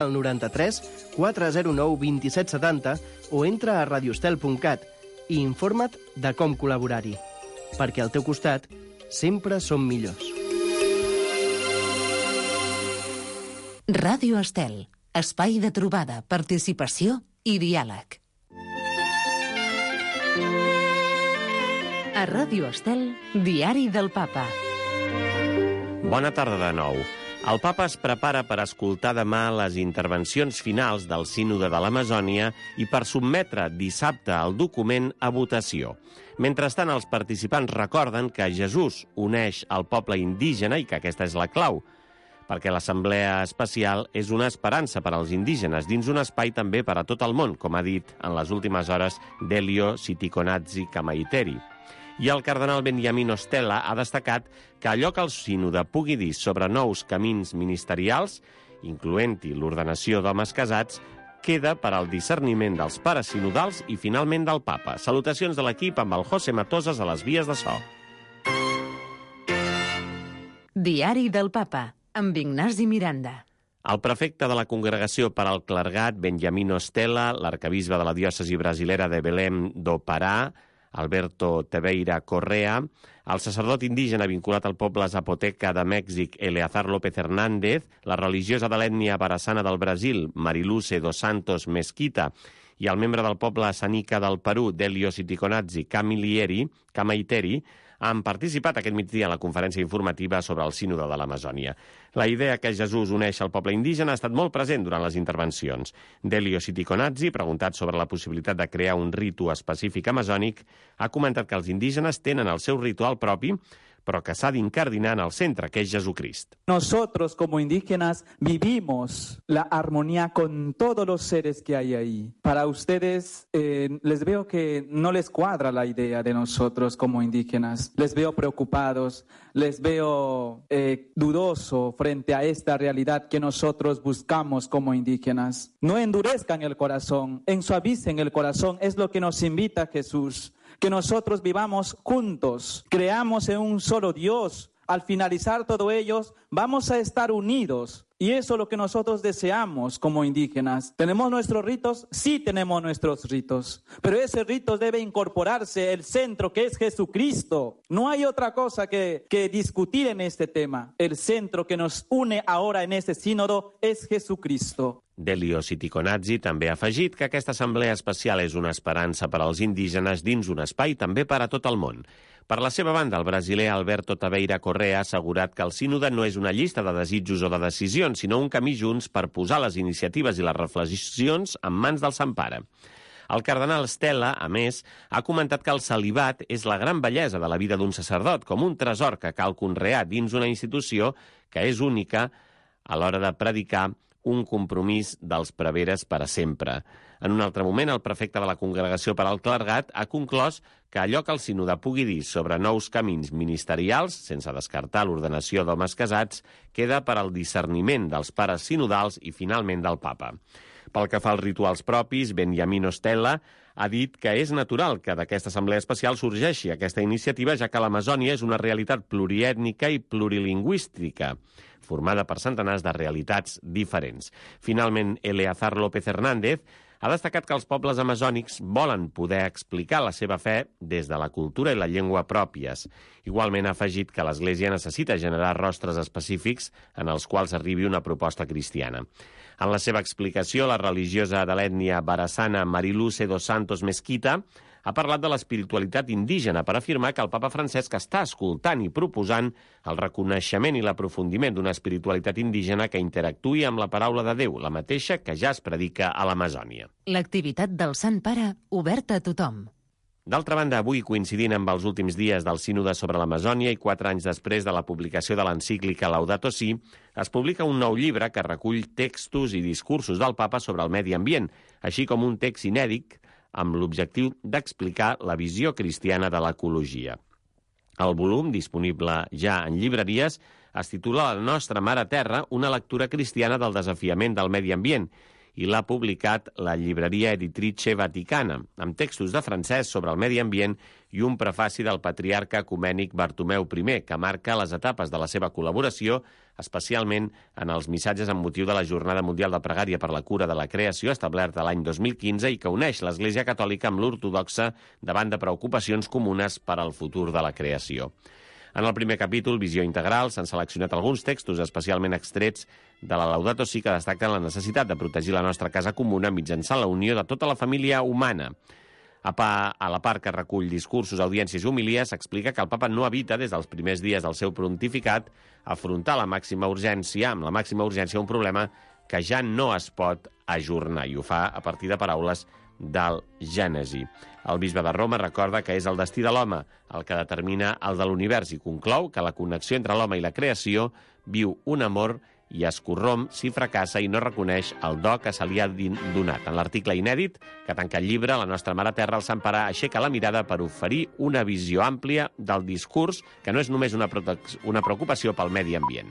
al 93 409 2770 o entra a radiostel.cat i informa't de com col·laborar-hi. Perquè al teu costat sempre som millors. Ràdio Estel, espai de trobada, participació i diàleg. A Ràdio Estel, Diari del Papa. Bona tarda de nou. El papa es prepara per escoltar demà les intervencions finals del Sínode de l'Amazònia i per sotmetre dissabte el document a votació. Mentrestant, els participants recorden que Jesús uneix el poble indígena i que aquesta és la clau, perquè l'Assemblea Especial és una esperança per als indígenes dins un espai també per a tot el món, com ha dit en les últimes hores Delio Sitikonatsi Kamaiteri. I el cardenal Benjamín Ostella ha destacat que allò que el sínode pugui dir sobre nous camins ministerials, incloent-hi l'ordenació d'homes casats, queda per al discerniment dels pares sinodals i finalment del papa. Salutacions de l'equip amb el José Matosas a les vies de so. Diari del Papa, amb Ignasi Miranda. El prefecte de la Congregació per al Clergat, Benjamín Ostella, l'arcabisbe de la diòcesi brasilera de Belém do Pará, Alberto Tebeira Correa, el sacerdot indígena vinculat al poble zapoteca de Mèxic, Eleazar López Hernández, la religiosa de l'ètnia barassana del Brasil, Mariluce dos Santos Mesquita, i el membre del poble sanica del Perú, Delio Sitikonatsi Kamaiteri, han participat aquest migdia en la conferència informativa sobre el Sínode de l'Amazònia. La idea que Jesús uneix el poble indígena ha estat molt present durant les intervencions. Delio Sitikonatsi, preguntat sobre la possibilitat de crear un ritu específic amazònic, ha comentat que els indígenes tenen el seu ritual propi, però que s'ha d'incardinar en el centre, que és Jesucrist. Nosotros como indígenas vivimos la armonía con todos los seres que hay ahí. Para ustedes les veo que no les cuadra la idea de nosotros como indígenas. Les veo preocupados, les veo dudoso frente a esta realidad que nosotros buscamos como indígenas. No endurezcan el corazón, ensuavicen el corazón, es lo que nos invita Jesús. Que nosotros vivamos juntos, creamos en un solo Dios. Al finalizar todo ello, vamos a estar unidos. Y eso es lo que nosotros deseamos como indígenas. ¿Tenemos nuestros ritos? Sí tenemos nuestros ritos. Pero ese rito debe incorporarse el centro que es Jesucristo. No hay otra cosa que discutir en este tema. El centro que nos une ahora en este sínodo es Jesucristo. Delio Sitikonatsi també ha afegit que aquesta assemblea especial és una esperança per als indígenes dins un espai també per a tot el món. Per la seva banda, el brasiler Alberto Taveira Correa ha assegurat que el sínode no és una llista de desitjos o de decisions, sinó un camí junts per posar les iniciatives i les reflexions en mans del Sant Pare. El cardenal Stella, a més, ha comentat que el celibat és la gran bellesa de la vida d'un sacerdot, com un tresor que cal conrear dins una institució que és única a l'hora de predicar un compromís dels preveres per a sempre. En un altre moment, el prefecte de la Congregació per al Clergat ha conclòs que allò que el sínode pugui dir sobre nous camins ministerials, sense descartar l'ordenació d'homes casats, queda per al discerniment dels pares sinodals i, finalment, del papa. Pel que fa als rituals propis, Benjamín Ostella ha dit que és natural que d'aquesta assemblea especial sorgeixi aquesta iniciativa, ja que l'Amazònia és una realitat pluriètnica i plurilingüística, formada per centenars de realitats diferents. Finalment, Eleazar López Hernández ha destacat que els pobles amazònics volen poder explicar la seva fe des de la cultura i la llengua pròpies. Igualment ha afegit que l'Església necessita generar rostres específics en els quals arribi una proposta cristiana. En la seva explicació, la religiosa de l'ètnia barassana Mariluce dos Santos Mesquita ha parlat de l'espiritualitat indígena per afirmar que el papa Francesc està escoltant i proposant el reconeixement i l'aprofundiment d'una espiritualitat indígena que interactuï amb la paraula de Déu, la mateixa que ja es predica a l'Amazònia. L'activitat del Sant Pare oberta a tothom. D'altra banda, avui, coincidint amb els últims dies del Sínode sobre l'Amazònia i 4 anys després de la publicació de l'encíclica Laudato Si, es publica un nou llibre que recull textos i discursos del papa sobre el medi ambient, així com un text inèdit amb l'objectiu d'explicar la visió cristiana de l'ecologia. El volum, disponible ja en llibreries, es titula La nostra mare terra, una lectura cristiana del desafiament del medi ambient, i l'ha publicat la llibreria Editrice Vaticana, amb textos de francès sobre el medi ambient i un prefaci del patriarca ecumènic Bartomeu I, que marca les etapes de la seva col·laboració, especialment en els missatges amb motiu de la Jornada Mundial de Pregària per la Cura de la Creació, establerta l'any 2015 i que uneix l'Església Catòlica amb l'ortodoxa davant de preocupacions comunes per al futur de la creació. En el primer capítol, Visió Integral, s'han seleccionat alguns textos especialment extrets de la Laudato Si que destaquen la necessitat de protegir la nostra casa comuna mitjançant la unió de tota la família humana. A la part que recull discursos, audiències i homilies, s'explica que el papa no evita, des dels primers dies del seu pontificat, afrontar amb la màxima urgència un problema que ja no es pot ajornar, i ho fa a partir de paraules del Gènesi. El bisbe de Roma recorda que és el destí de l'home el que determina el de l'univers i conclou que la connexió entre l'home i la creació viu un amor i es corromp si fracassa i no reconeix el do que se li ha donat. En l'article inèdit que tanca el llibre, la nostra Mare Terra, el Sant Pare, aixeca la mirada per oferir una visió àmplia del discurs que no és només una preocupació pel medi ambient.